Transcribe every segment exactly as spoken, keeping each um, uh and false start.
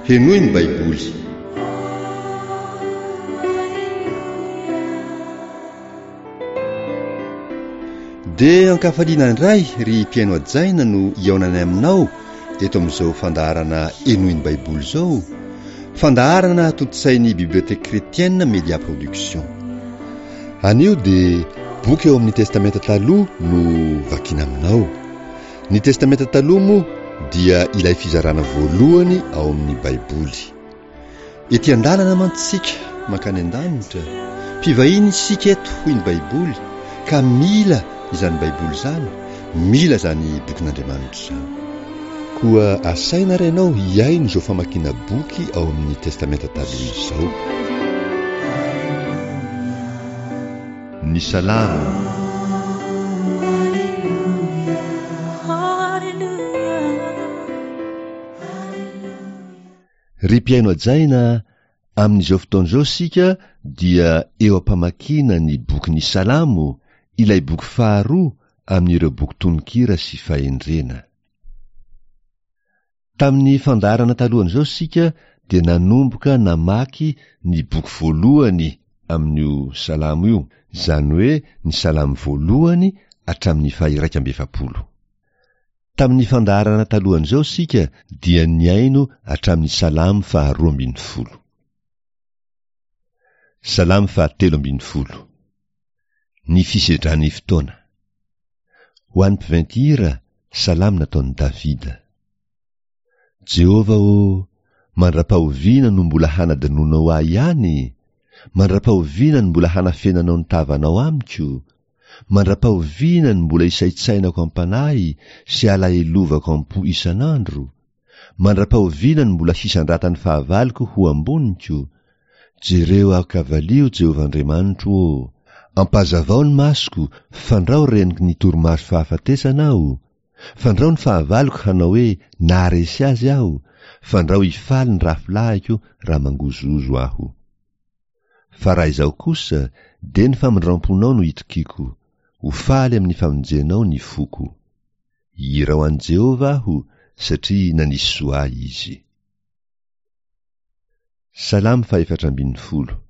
Henoy ny Baiboly. Dia ankafaliana indray ry mpihaino hajaina no hihaonanay aminao eto amin'izao fandaharana Henoy ny Baiboly izao, fandaharana tontosain'ny Bibliothèque Chrétienne Media Production. Anio dia boky eo amin'ny Testamenta Taloha no vakiana aminao. Ny Testamenta Taloha moa dia ilay fizarana voalohany ao amin'ny Baiboly. Ety an-dalana mantsy isika mankany an-danitra, mpivahiny isika eto hoy ny Baiboly ka mila izany Baiboly izany, mila izany bokin'Andriamanitra izany. Koa asaina ary ianao hihaino izao famakiana boky ao amin'ny Testamenta Taloha izao. Ny Salamo. Ry mpihaino hajaina, amin'izao fotoana izao isika dia eo am-pamakiana ny bokin'ny Salamo, ilay boky faharoa amin'ireo boky tononkira sy fahendrena. Tamin'ny fandaharana talohan'izao isika dia nanomboka namaky ny boky voalohany amin'io Salamo io, izany hoe ny Salamo voalohany hatramin'ny faha-iraika amby efapolo. Tamin'ny fandaharana talohan'izao isika dia nihaino hatramin'ny Salamo faharoa ambin'ny folo. Salamo fahatelo ambin'ny folo. Ny fisedran'ny fotoana. Ho an'ny mpiventy hira, Salamo nataon'i Davida. Jehovah ô, mandra-pahoviana no mbola hanadinoanao ahy ihany? Mandra-pahoviana no mbola hanafenanao ny tavanao amiko? Mandra-pahoviana no mbola isaintsainako am-panahy sy alahelovako am-po isan'andro? Mandra-pahoviana no mbola hisandratan'ny fahavaloko ho amboniko? Jereo aho ka valio, Jehovah Andriamanitro ô! Ampazavao ny masoko, fandrao renoky ny torimaso fahafatesana aho. Fandrao ny fahavaloko hanao hoe naharesy azy aho, fandrao hifaly ny rafilahiko raha mangozohozo aho. Fa raha izaho kosa, dia ny famindram-ponao no itokiako, ho faly amin'ny famonjenao ny foko. Hihira ho an'i Jehovah aho, satria nanisy soa ahy izy. Salamo fahefatra ambin'ny folo.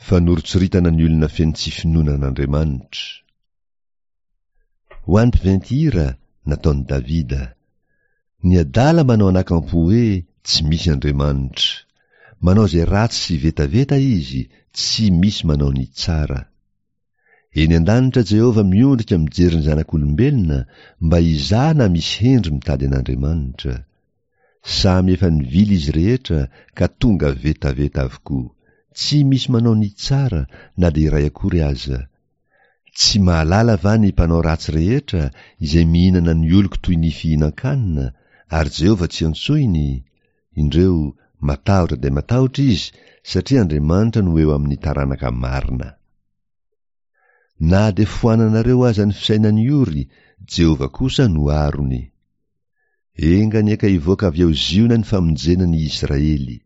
Fanoritsoritana ny olona feno tsy finoana an'Andriamanitra. Ho an'ny mpiventy hira, nataon'i Davida. Ny adala manao anakampo hoe tsy misy Andriamanitra. Manao izay ratsy sy vetaveta izy, tsy misy manao ny tsara. Eny an-danitra Jehovah miondrika mijery ny zanak'olombelona mba hizaha na misy hendry mitady an'Andriamanitra. Samy efa nivily izy rehetra ka tonga vetaveta avokoa. Tsy misy manao ny tsara na dia iray akory aza. Tsy mahalala va ny mpanao ratsy rehetra izay mihinana ny oloko toy ny fihinan-kanina, ary Jehovah tsy antsoiny? Indreo, matahotra dia matahotra izy, satria Andriamanitra no eo amin'ny taranaka marina. Na dia foananareo aza ny fisainan'ny ory, Jehovah kosa no arony. Enga anie ka hivoaka avy ao Ziona ny famonjena ny Israely.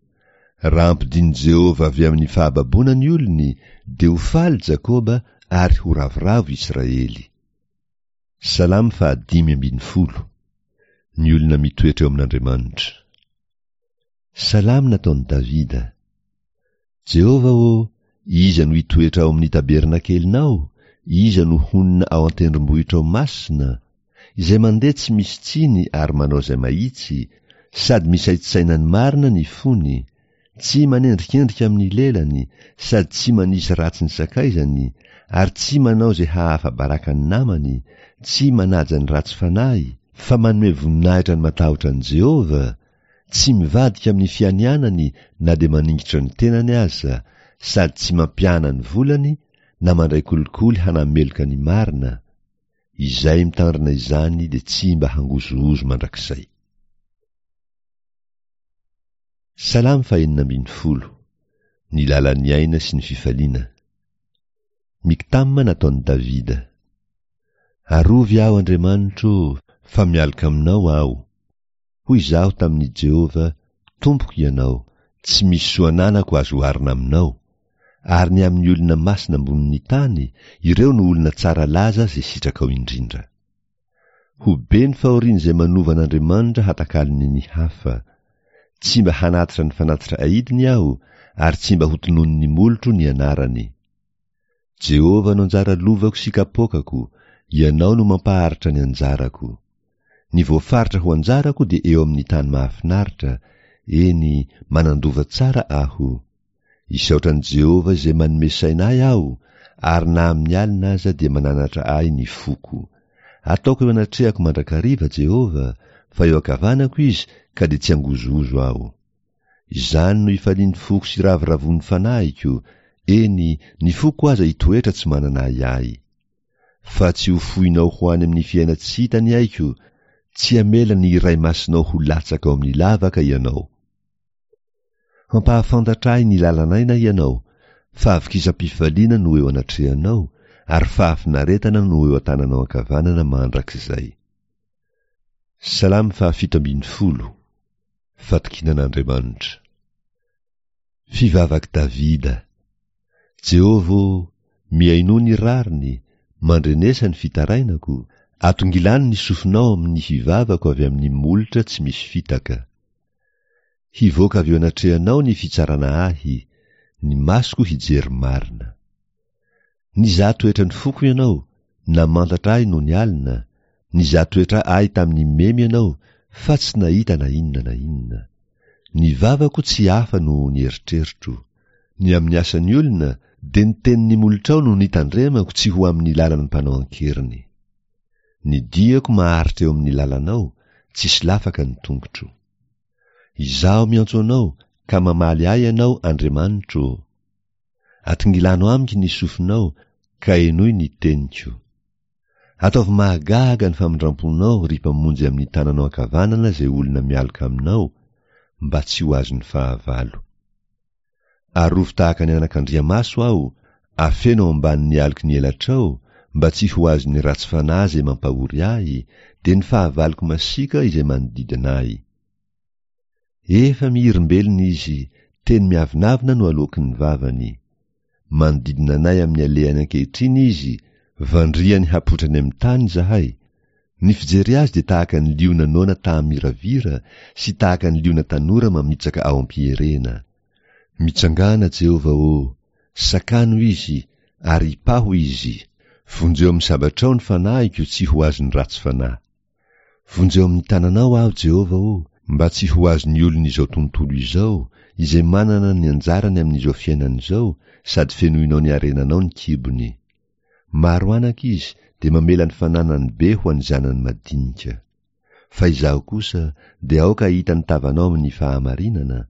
Raha ampidin'i Jehovah avy amin'ny fahababoana ny olony, dia ho faly Jakoba ary ho ravoravo Israely. Salamo fahadimy ambin'ny folo. Ny olona mitoetra eo amin'Andriamanitra. Salamo nataon'i Davida. Jehovah ô, iza no hitoetra ao amin'ny tabernakelinao? Iza no honina ao an-tendrombohitrao masina? Izay mandeha tsy misy tsiny ary manao izay mahitsy, sady misaintsaina ny marina ny fony, tsy manendrikendrika amin'ny lelany, sady tsy manisy ratsy ny sakaizany, ary tsy manao izay hahafa-baraka ny namany, tsy manaja ny ratsy fanahy, fa manome voninahitra ny matahotra an'i Jehovah, tsy mivadika amin'ny fianianany na dia maningitra ny tenany aza, sady tsy mampiana ny volany na mandray kolikoly hanameloka ny marina. Izay mitandrina izany dia tsy mba hangozohozo mandrakizay. Salamo fahenina ambin'ny folo. Ny lalan'ny aina sy ny fifaliana. Miktama nataon'i Davida. Arovy aho, Andriamanitro, fa mialoka aminao aho. Hoy izaho tamin'i Jehovah, Tompoko ianao, tsy misy soa ananako azo oharina aminao. Ary ny amin'ny olona masina ambonin'ny tany, ireo no olona tsara laza izay sitrakao indrindra. Ho be ny fahorian'izay manova an'Andriamanitra hatakalony ny hafa. Tsy mba hanatitra ny fanatitra aidiny aho, ary tsy mba hotononin'ny molotro ny anarany. Jehovah no anjara lovako sy kapoakako, Ianao no mampaharitra ny anjarako. Ny voafaritra ho anjarako dia eo amin'ny tany mahafinaritra, eny, manan-dova tsara aho. Isaotra an'i Jehovah izay manome saina ahy aho, ary na amin'ny alina aza dia mananatra ahy ny foko. Ataoko eo anatrehako mandrakariva Jehovah, fa eo ankavanako Izy ka dia tsy hangozohozo aho. Izany no ifalian'ny foko sy ravoravoan'ny fanahiko, eny, ny foko aza hitoetra tsy manana ahiahy. Fa tsy ho foinao ho any amin'ny fiainan-tsy hita ny aiko, tsy hamela ny Iray Masinao ho latsaka ao amin'ny lavaka Ianao. Hampahafantatra ahy ny lalan'aina Ianao, fahavokisam-pifaliana no eo anatrehanao, ary fahafinaretana no eo an-tananao ankavanana mandrakizay. Salamo fahafito ambin'ny folo. Fatokiana an'Andriamanitra. Fivavak'i Davida. Jehovah ô, mihainoa ny rariny, mandrenesa ny fitarainako, atongilano ny sofinao amin'ny fivavako avy amin'ny molotra tsy misy fitaka. Hivoaka avy eo anatrehanao ny fitsarana ahy, ny masoko hijery marina. Nizaha toetra ny foko Ianao, namantatra ahy nony alina, nizaha toetra ahy tamin'ny memy Ianao, fa tsy nahita na inona na inona. Ny vavako tsy hafa noho ny eritreritro. Ny amin'ny asan'ny olona, dia ny tenin'ny molotrao no nitandremako tsy ho amin'ny lalan'ny mpanao an-keriny. Ny diako maharitra eo amin'ny lalanao, tsy solafaka ny tongotro. Izaho miantso Anao, ka mamaly ahy Ianao, Andriamanitro ô. Atongilano amiko ny sofinao, ka henoy ny teniko. Ataovy mahagaga ny famindram-ponao, ry Mpamonjy amin'ny tananao ankavanana izay olona mialoka aminao, mba tsy ho azon'ny fahavalo. Arovy tahaka ny anakandriamaso aho, afeno ao ambanin'ny aloky ny elatrao, mba tsy ho azon'ny ratsy fanahy izay mampahory ahy, dia ny fahavaloko masiaka izay manodidina ahy. Efa mihirimbelona izy, teny miavonavona no aloaky ny vavany. Manodidina anay amin'ny alehany ankehitriny izy, vandriany hapotrany amin'ny tany izahay. Ny fijery azy dia tahaka ny liona noana taha-miravira sy tahaka ny liona tanora mamitsaka ao am-pierena. Mitsangàna, Jehovah ô, sakano izy, ary ipaho izy. Vonjeo amin'ny sabatrao ny fanahiko tsy ho azon'ny ratsy fanahy. Vonjeo amin'ny tananao aho, Jehovah ô, mba tsy ho azon'ny olon'izao tontolo izao, izay manana ny anjarany amin'izao fiainana izao, sady fenoinao ny harenanao ny kibony. Maro anaka izy, dia mamela ny fananany be ho an'ny zanany madinika. Fa izaho kosa, dia aoka hahita ny tavanao amin'ny fahamarinana,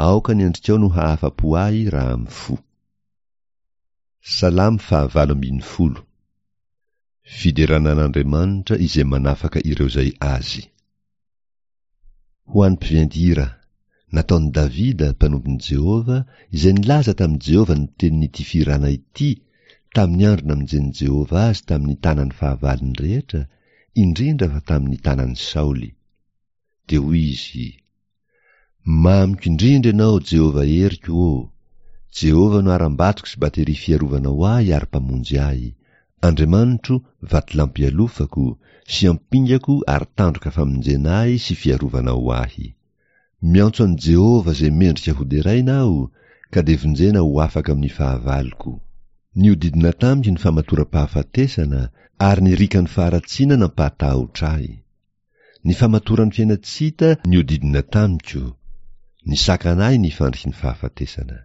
aoka ny endrikao no hahafa-po ahy raha mifoha. Salamo fahavalo ambin'ny folo. Fiderana an'Andriamanitra izay manafaka ireo izay azy. Ho an'ny mpiventy hira, nataon'i Davida, mpanompon'i Jehovah, izay nilaza tamin'i Jehovah ny tenin'ity fihirana ity, tamin'ny andro namonjen'i Jehovah azy tamin'ny tanan'ny fahavalony rehetra, indrindra fa tamin'ny tanan'i Saoly. Dia hoy izy, Mamiko indrindra ianao, Jehovah heriko ô! Jehovah no harambatoko sy bateria fiarovana ho ahy ary mpamonjy ahy, Andriamanitro, vatolampy ialofako, sy ampingako ary tandroka famonjena ahy sy fiarovana ho ahy. Miantso an'i Jehovah izay mendrika hoderaina aho, ka dia vonjena ho afaka amin'ny fahavaloko. Nihodidina tamiko ny famatoram-pahafatesana, ary ny rikan'ny faharatsiana nampahatahotra ahy. Ny famatoran'ny fiainan-tsy hita nihodidina tamiko, nisakana ahy ny fandriky ny fahafatesana.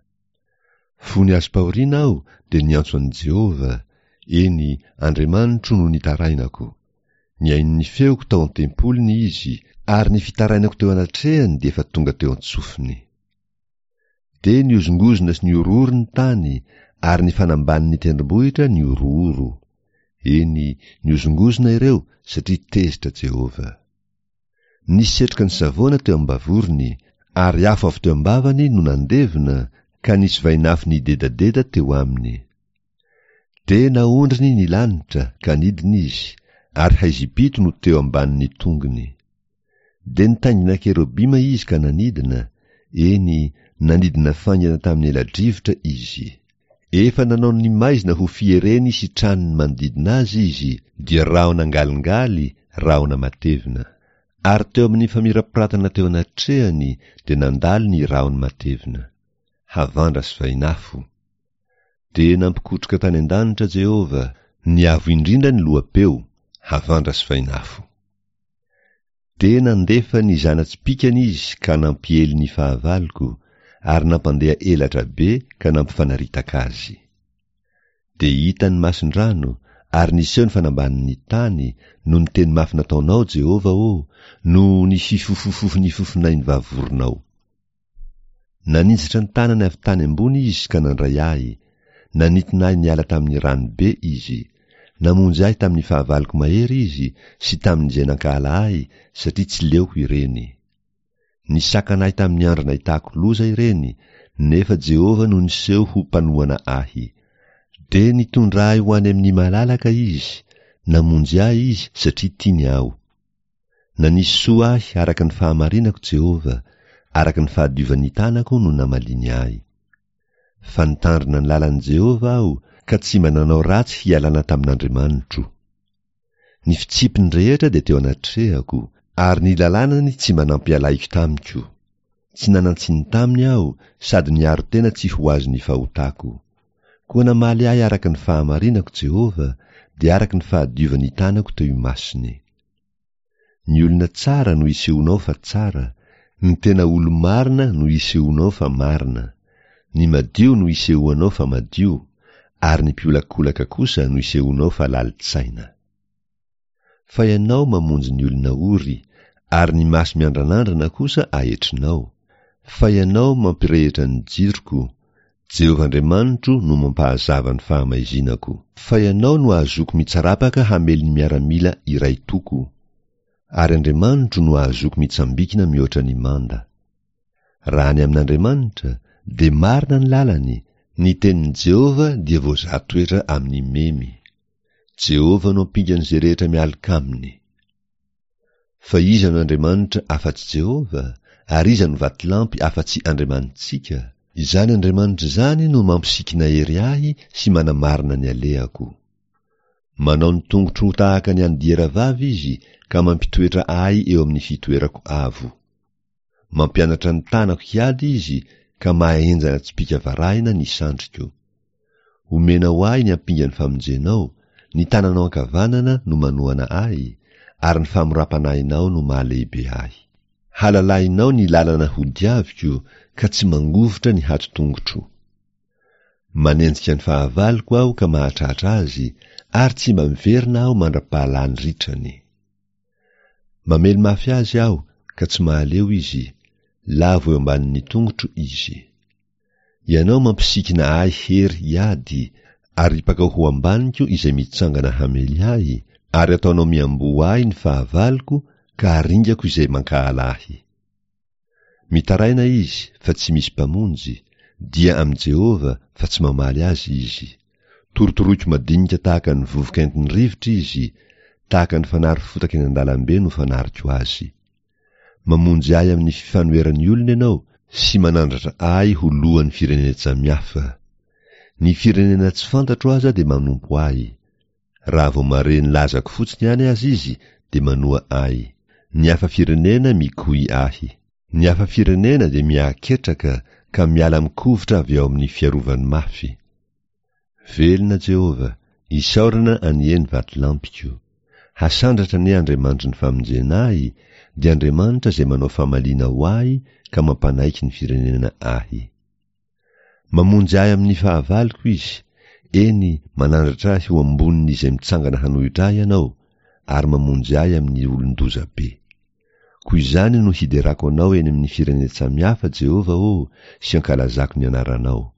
Fony azom-pahoriana aho, dia niantso an'i Jehovah, eny, Andriamanitro no nitarainako. Nihaino ny feoko tao an-tempoliny Izy, ary ny fitarainako teo anatrehany dia efa tonga teo an-tsofiny. Dia nihozongozona sy nihorohoro ny tany, ary ny fanambanin'ny tendrombohitra nihorohoro. Eny, nihozongozona ireo, satria tezitra Jehovah. Nisy setroka nisavoana teo am-bavorony, ary afo avy teo am-bavany no nandevona, ka nisy vainafo nidedadeda teo aminy. Dia naondriny ny lanitra, ka nidina izy, ary haizim-pito no teo ambanin'ny tongony. Dia nitaingina kerobima izy ka nanidina, eny, nanidina faingana tamin'ny ela-drivotra izy. Efa nanao ny maizina ho fiereny sy tranony manodidina azy izy, dia rahona angalingaly, rahona matevina. Ary teo amin'ny famirapiratana teo anatrehany dia nandalo ny rahony matevina, havandra sy vainafo. Dia nampikotroka tany an-danitra Jehovah, ny Avo Indrindra ny loha-peo, havandra sy vainafo. Dia nandefa ny zana-tsipìkany izy ka nampiely ny fahavaloko, ary nampandeha elatra be ka nampifanaritaka azy. Dia hita ny mason-drano, ary niseho ny fanambanin'ny tany, noho ny teny mafy nataonao, Jehovah ô, noho ny fifofofofon'ny fofonain'ny vavoronao. Naninjitra ny tanany avy tany ambony izy ka nandray ahy, nanintona ahy niala tamin'ny rano be izy. Namonjy ahy tamin'ny fahavaloko mahery izy sy tamin'izay nankahala ahy, satria tsy leoko ireny. Nisakana ahy tamin'ny andro nahitako loza ireny, nefa Jehovah no niseho ho mpanohana ahy. Dia nitondra ahy ho any amin'ny malalaka izy, namonjy ahy izy satria tiany aho. Nanisy soa ahy araka ny fahamarinako Jehovah, araka ny fahadiovan'ny tanako no namaliany ahy. Fa nitandrina ny lalan'i Jehovah aho, ka tsy mba nanao ratsy hialana tamin'Andriamanitro. Ny fitsipiny rehetra dia teo anatrehako, ary ny lalànany tsy mba nampialahiko tamiko. Tsy nanan-tsiny taminy aho, sady niaro tena tsy ho azon'ny fahotako. Koa namaly ahy araka ny fahamarinako Jehovah, dia araka ny fahadiovan'ny tanako teo imasony. Ny olona tsara no isehoanao fa tsara, ny tena olo-marina no isehoanao fa marina, ny madio no isehoanao fa madio, ary ny mpiolakolaka kosa no isehoanao fa lalin-tsaina. Fa ianao mamonjy ny olona ory, ary ny maso miandranandrana kosa ahetrinao. Fa ianao mampirehitra ny jiroko, Jehovah Andriamanitro no mampahazava ny fahamaizinako. Fa ianao no ahazoako mitsarapaka hamely ny miaramila iray toko, ary Andriamanitro no ahazoako mitsambikina mihoatra ny manda. Raha ny amin'Andriamanitra, dia marina ny lalany, ny tenin'i Jehovah dia voazaha toetra amin'ny memy. Jehovah no ampingan'izay rehetra mialoka aminy. Fa iza no Andriamanitra afa-tsy Jehovah, ary iza no vatolampy afa-tsy Andriamanitsika? Izany Andriamanitra izany no mampisikina hery ahy sy manamarina ny alehako. Manao ny tongotro ho tahaka ny an'ny dieravavy izy ka mampitoetra ahy eo amin'ny fitoerako avo. Mampianatra ny tanako hiady izy ka mahahenjana tsipìka varahina ny sandriko. Omenao ahy ny ampingan'ny famonjenao, ny tananao ankavanana no manohana ahy, ary ny famoram-panahinao no mahalehibe ahy. Halalahinao ny lalana hodiaviko ka tsy mangovitra ny hato-tongotro. Manenjika ny fahavaloko aho ka mahatratra azy, ary tsy mba miverina aho mandra-pahalany ritrany. Mamely mafy azy aho ka tsy mahaleo izy, lavo eo ambanin'ny tongotro izy. Ianao mampisikina ahy hery hiady, ary ripakao ho ambaniko izay mitsangana hamely ahy, ary ataonao miamboho ahy ny fahavaloko ka aringako izay mankahala ahy. Mitaraina izy fa tsy misy mpamonjy, dia amin'i Jehovah fa tsy mamaly azy izy. Torotoroiko madinika tahaka ny vovoka entin'ny rivotra izy, tahaka ny fanary fotaka eny an-dalambe no fanariko azy. Mamonjy ahy amin'ny fifanoheran'ny olona ianao sy manandratra ahy ho lohan'ny firenen-tsamihafa. Ny firenena tsy fantatro aza dia manompo ahy. Raha vao mahare ny lazako fotsiny ihany aza izy dia manoa ahy. Ny hafa firenena mikoy ahy. Ny hafa firenena dia miahaketraka ka miala mikovitra avy ao amin'ny fiarovany mafy. Velona Jehovah, isaorana anie ny vatolampiko. Hasandratra anie Andriamanitry ny famonjena ahy, dia Andriamanitra izay manao famaliana ho ahy ka mampanaiky ny firenena ahy. Mamonjy ahy amin'ny fahavaloko Izy, eny, manandratra ahy ho ambonin'izay mitsangana hanohitra ahy Ianao, ary mamonjy ahy amin'ny olon-doza be. Koa izany no hiderako Anao eny amin'ny firenen-tsamihafa, Jehovah ô, sy ankalazako ny anaranao.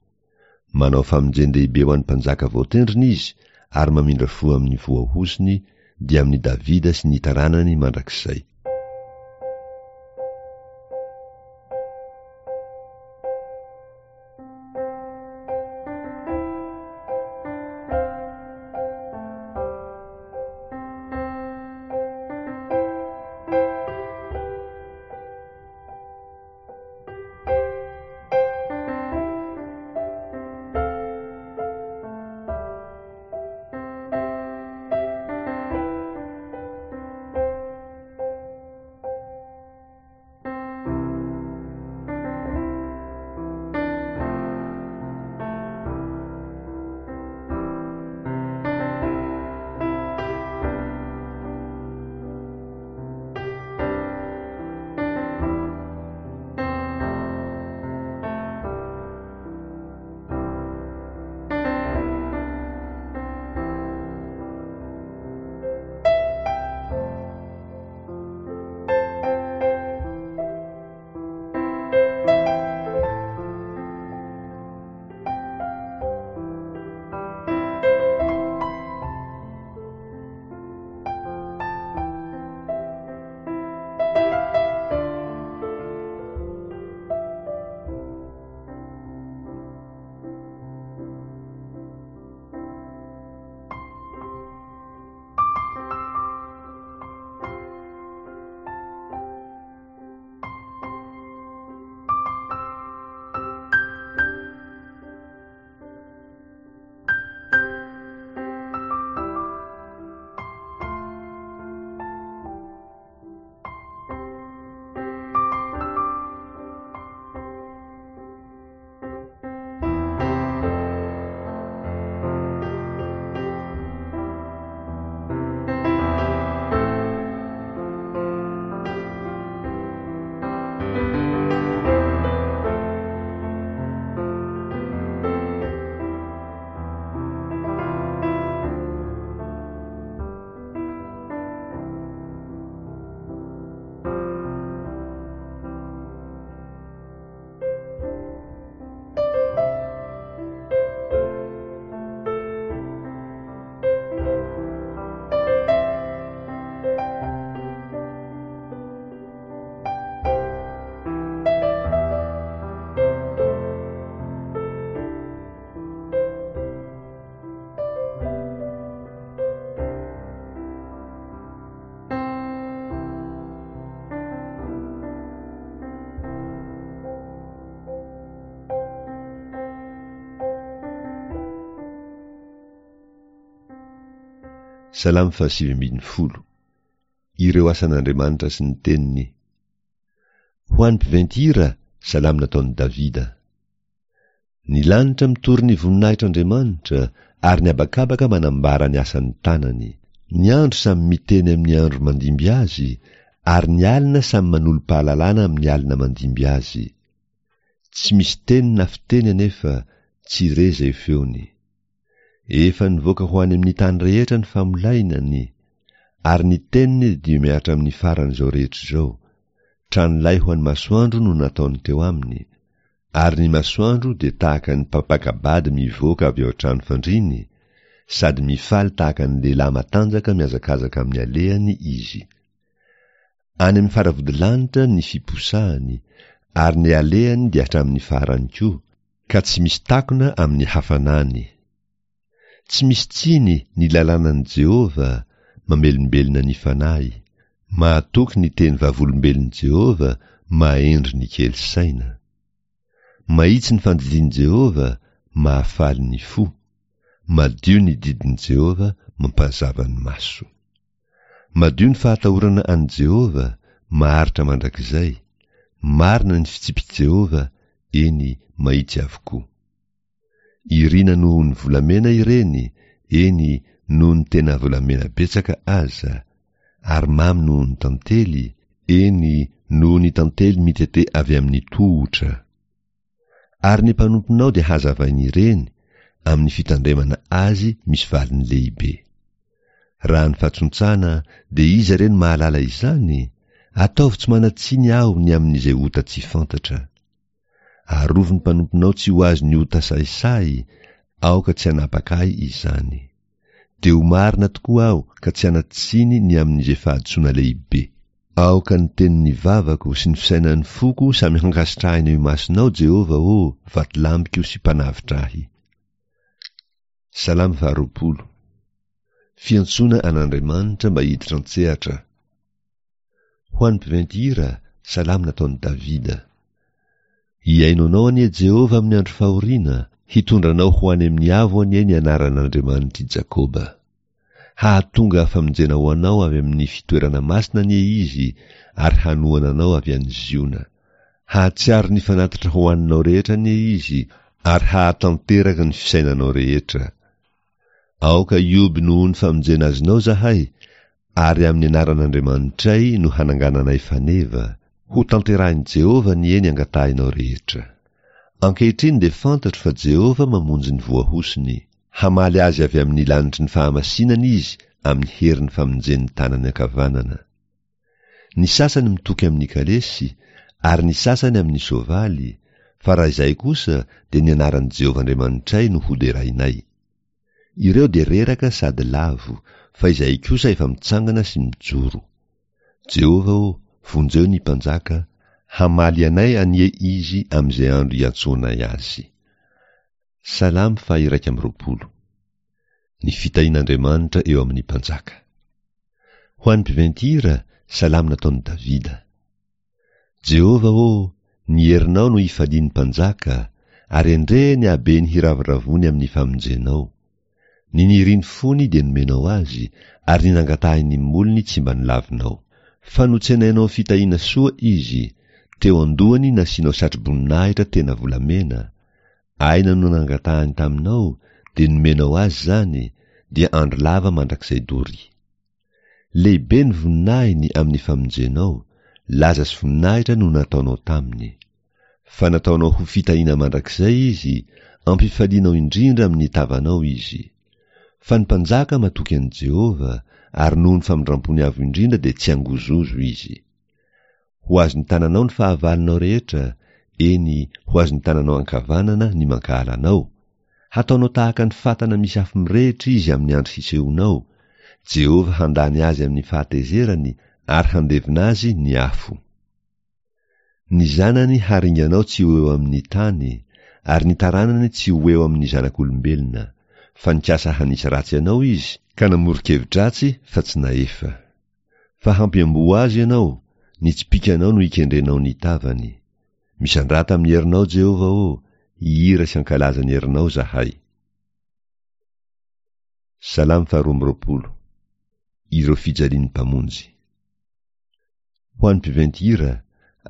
Manao famonjen-dehibe ho an'ny mpanjaka voatendriny Izy, ary mamindra fo amin'ny voahozony, dia amin'i Davida sy ny taranany mandrakizay. Salamo fahasivy ambin'ny folo. Ireo asan'Andriamanitra sy ny teniny. Ho an'ny mpiventy hira, salamo nataon'i Davida. Ny lanitra mitory ny voninahitr'Andriamanitra, ary ny habakabaka manambara ny asan'ny tanany. Ny andro samy miteny amin'ny andro mandimby azy, ary ny alina samy manolo-pahalalana amin'ny alina mandimby azy. Tsy misy teny na fiteny anefa, tsy re izay feony. Efa nivoaka ho any amin'ny tany rehetra ny famolainany, ary ny teniny dia mihatra amin'ny faran'izao rehetra izao. Tranolay ho an'ny masoandro no nataony teo aminy, ary ny masoandro dia tahaka ny mpampaka-bady mivoaka avy ao an-trano fandriany, sady mifaly tahaka ny lehilahy matanjaka mihazakazaka amin'ny alehany izy. Any amin'ny faravodilanitra ny fiposahany, ary ny alehany dia hatramin'ny farany koa, ka tsy misy takona amin'ny hafanany. Tsy misy tsiny ny lalànan'i Jehovah, mamelombelona ny fanahy. Mahatoky ny teny vavolombelon'i Jehovah, mahendry ny kely saina. Mahitsy ny fandidian'i Jehovah, mahafaly ny fo. Madio ny didin'i Jehovah, mampazava ny maso. Madio ny fahatahorana an'i Jehovah, maharitra mandrakizay. Marina ny fitsipik'i Jehovah, eny, mahitsy avokoa. Irina noho ny volamena ireny, eny, noho ny tena volamena betsaka aza, ary mamy noho ny tantely, eny, noho ny tantely mitete avy amin'ny tohotra. Ary ny mpanomponao dia hazavain'ireny, amin'ny fitandremana azy misy valiny lehibe. Raha ny fahatsontsana, dia iza re no mahalala izany? Ataovy tsy manan-tsiny aho ny amin'izay ota tsy fantatra. Arovy ny mpanomponao tsy ho azon'ny ota sahisahy, aoka tsy hanapaka ahy izany. Dia ho marina tokoa aho ka tsy hanan-tsiny ny amin'izay fahadisoana lehibe. Aoka ny tenin'ny vavako sy ny fisainan'ny foko samy hankasitrahina eo imasonao, Jehovah ô, vatolampiko sy mpanavotra ahy. Salamo faharoapolo. Fiantsoana an'Andriamanitra mba hiditra an-tsehatra. Ho an'ny mpiventy hira, salamo nataon'i Davida. Hihaino anao anie Jehovah amin'ny andro fahoriana, hitondra anao ho any amin'ny avo anie ny anaran'Andriamanitr'i Jakoba. Hahatonga famonjena ho anao avy amin'ny fitoerana masina anie Izy, ary hanohana anao avy any Ziona. Hahatsiaro ny fanatitra hohaninao rehetra anie Izy, ary hahatanteraka ny fisainanao rehetra. Aoka hioby noho ny famonjena azonao izahay, ary amin'ny anaran'Andriamanitray no hanangananay faneva. Ho tanterahin'i Jehovah anie ny angatahinao rehetra. Ankehitriny dia fantatro fa Jehovah mamonjy ny voahosony. Hamaly azy avy amin'ny lanitry ny fahamasinana Izy amin'ny herin'ny famonjen'ny tanany ankavanana. Ny sasany mitoky amin'ny kalesy, ary ny sasany amin'ny soavaly, fa raha izahay kosa dia ny anaran'i Jehovah Andriamanitray no hoderainay. Ireo dia reraka sady lavo, fa izahay kosa efa mitsangana sy mijoro. Jehovah ô, vonjeo ny mpanjaka, hamaly anay anie Izy amin'izay andro iantsoanay Azy. Salamo faha-iraika amby roapolo. Ny fitahian'Andriamanitra eo amin'ny mpanjaka. Ho an'ny mpiventy hira, salamo nataon'i Davida. Jehovah ô, ny herinao no ifalian'ny mpanjaka, ary endrey ny habeny hiravoravoany amin'ny famonjenao. Ny nirin'ny fony dia nomenao azy, ary ny nangatahin'ny molony tsy mba nolavinao. Fa notsenainao fitahiana soa izy, teo an-dohany nasianao satroboninahitra tena volamena. Aina no nangatahany taminao, dia nomenao azy izany, dia andro lava mandrakizay doria. Lehibe ny voninahiny amin'ny famonjenao, laza sy voninahitra no nataonao taminy. Fa nataonao ho fitahiana mandrakizay izy, ampifalianao indrindra amin'ny tavanao izy. Fa ny mpanjaka matoky an'i Jehovah, ary noho ny famindrampony avo indrindra dia tsy hangozozo izy. Ho azon'ny tananao ny fahavalonao rehetra, eny, ho azon'ny tananao ankavanana ny mankahala anao. Hataonao tahaka ny fatana misy afo mirehitra izy amin'ny andro hisehoanao. Jehovah handany azy amin'ny fahatezerany, ary handevona azy ny afo. Ny zanany haringanao tsy ho eo amin'ny tany, ary ny taranany tsy ho eo amin'ny zanak'olombelona. Fa nikasa hanisy ratsy anao izy, ka namoron-kevi-dratsy fa tsy nahefa. Fa hampiamboho azy ianao, ny tsipìkanao no ikendrenao ny tavany. Misandrata amin'ny herinao, Jehovah ô, hihira sy hankalaza ny herinao izahay. Salamo faharoa amby roapolo. ireo fijalian'ny Mpamonjy. Ho an'ny mpiventy hira,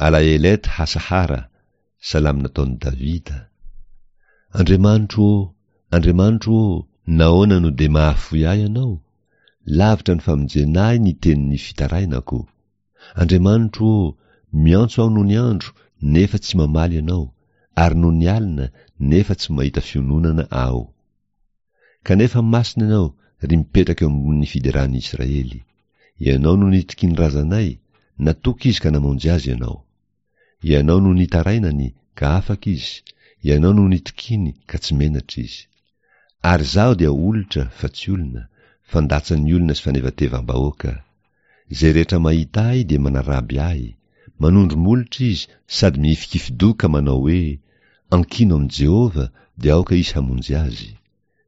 Alaelet Hasahara, salamo nataon'i Davida. Andriamanitro ô, Andriamanitro ô, nahoana no dia mahafoy ahy Ianao? Lavitra ny famonjena ahy ny tenin'ny fitarainako. Andriamanitro ô, miantso aho nony andro, nefa tsy mamaly Ianao, ary nony alina, nefa tsy mahita fiononana aho. Kanefa masina Ianao, ry mipetraka eo ambonin'ny fideran'ny Israely. Ianao no nitokian'ny razanay, natoky izy ka namonjy azy Ianao. Ianao no nitarainany, ka afaka izy, Ianao no nitokiany, ka tsy menatra izy. Ary izaho dia olitra, fa tsy olona, fandatsan'ny olona sy fanevatevam-bahoaka. Izay rehetra mahita ahy dia manaraby ahy, manondro molotra izy sady mihifikifi-doha ka manao hoe, Ankino amin'i Jehovah, dia aoka izy hamonjy azy.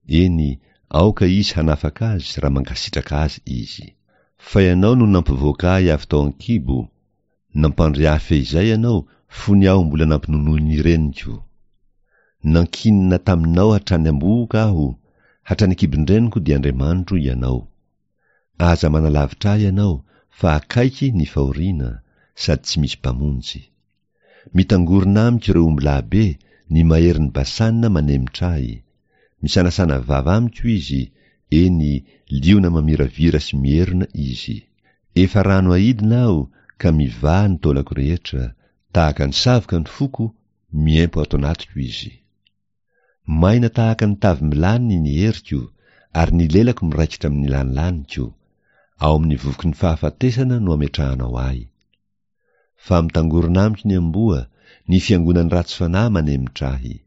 Eny, aoka izy hanafaka azy raha mankasitraka azy izy. Fa Ianao no nampivoaka ahy avy tao an-kibo, nampandry ahy fehizay Ianao fony aho mbola nampinonoin'ny reniko. Nankinina taminao hatrany am-bohoka aho, hatrany an-kibon-dreniko dia Andriamanitro Ianao. Aza manalavitra ahy Ianao, fa akaiky ny fahoriana, sady tsy misy mpamonjy. Mitangorona amiko ireo ombilahy be, ny maherin'i Basana manemitra ahy. Misanasana vava amiko izy, eny, liona mamiravira sy mierona izy. Efa rano aidina aho, ka mivaha ny taolako rehetra, tahaka ny savoka ny foko, miempo ato anatiko izy. Maina tahaka ny tavim-bilany ny heriko, ary ny lelako miraikitra amin'ny lanilaniko. Ao amin'ny vovoky ny fahafatesana no ametrahanao ahy. Fa mitangorona amiko ny amboa, ny fiangonan'ny ratsy fanahy manemitra ahy.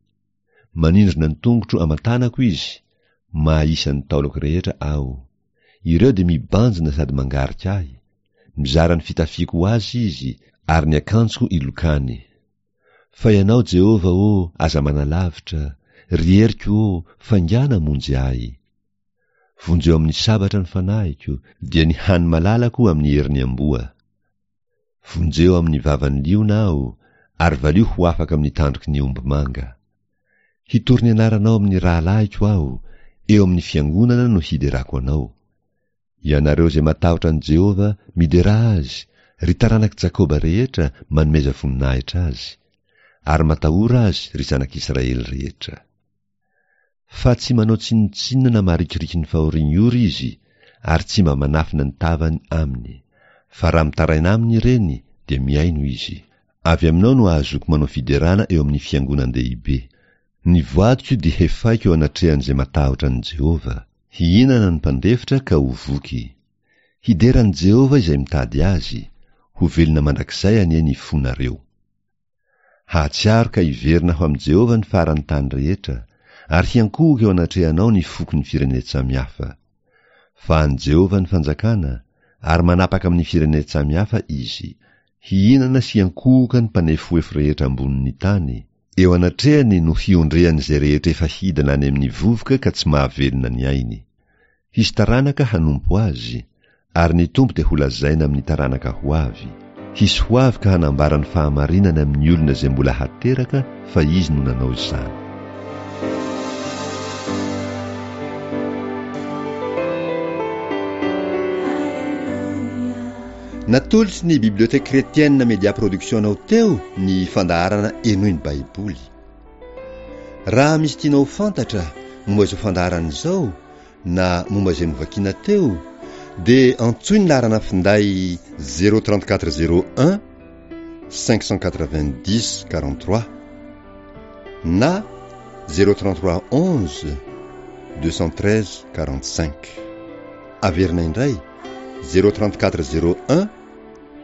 Manindrona ny tongotro aman-tanako izy, mahisa ny taolako rehetra aho. Ireo dia mibanjina sady mangarika ahy. Mizara ny fitafiako ho azy izy, ary ny akanjoko ilokany. Fa Ianao, Jehovah ô, aza manalavitra, ry heriko ô, faingàna hamonjy ahy. Vonjeo amin'ny sabatra ny fanahiko, dia ny hany malalako amin'ny herin'ny amboa. Vonjeo amin'ny vavan'ny liona aho, ary valio ho afaka amin'ny tandroky ny omby manga. Hitory ny anaranao amin'ny rahalahiko aho, eo amin'ny fiangonana no hiderako anao. Ianareo izay matahotra an'i Jehovah, miderà azy, ry taranak'i Jakoba rehetra, manomeza voninahitra azy. Ary matahora azy, ry zanak'Israely rehetra. Fa tsy manao tsinontsinona na marikiriky ny fahorian'ny ory izy, ary tsy mba manafina ny tavany aminy. Fa raha mitaraina aminy ireny, dia mihaino izy. Avy aminao no ahazoako manao fiderana eo amin'ny fiangonan-dehibe. Ny voadiko dia hefaiko eo anatrehan'izay matahotra an'i Jehovah. Hihinana ny mpandefitra ka ho voky. Hidera an'i Jehovah izay mitady azy. Ho velona mandrakizay anie ny fonareo. Hahatsiaro ka hiverina ho amin'i Jehovah ny faran'ny tany rehetra, ary hiankohoka eo anatrehanao ny fokon'ny firenen-tsamihafa. Fa an'i Jehovah ny fanjakana, ary manapaka amin'ny firenen-tsamihafa izy. Hihinana sy hiankohoka ny mpanefoefo rehetra ambonin'ny tany, eo anatrehany no hiondrehan'izay rehetra efa hidina any amin'ny vovoka ka tsy mahavelona ny ainy. Hisy taranaka hanompo azy, ary ny Tompo dia holazaina amin'ny taranaka ho avy. Hisy ho avy ka hanambara ny fahamarinany amin'ny olona izay mbola hateraka fa izy no nanao izany. Natolotry ny Bibliothèque Chrétienne Media Production anao teo ny fandaharana Henoy ny Baiboly. Raha misy tianao ho fantatra momba izao fandaharana izao na momba izay novakiana teo, dia antsoy ny laharana finday zéro trente quatre zéro un cinq cent quatre-vingt-dix quarante-trois na zéro trente-trois onze deux cent treize quarante-cinq. Averina indray zéro trente-quatre zéro un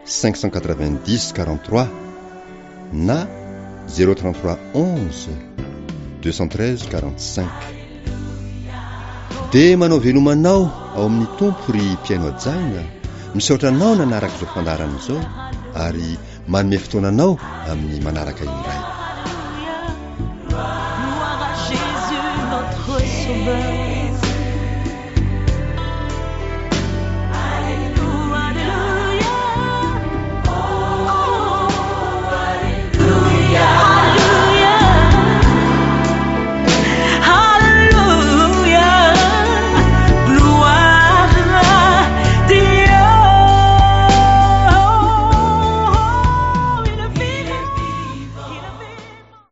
cinq cent quatre-vingt-dix quarante-trois na zéro trente-trois onze deux cent treize quarante-cinq. Dia manao veloma anao ao amin'ny Tompo ry mpihaino hajaina, misaotra anao nanaraka izao fandaharana izao ary manome fotoana anao amin'ny manaraka indray. Gloire à Jésus notre Sauveur.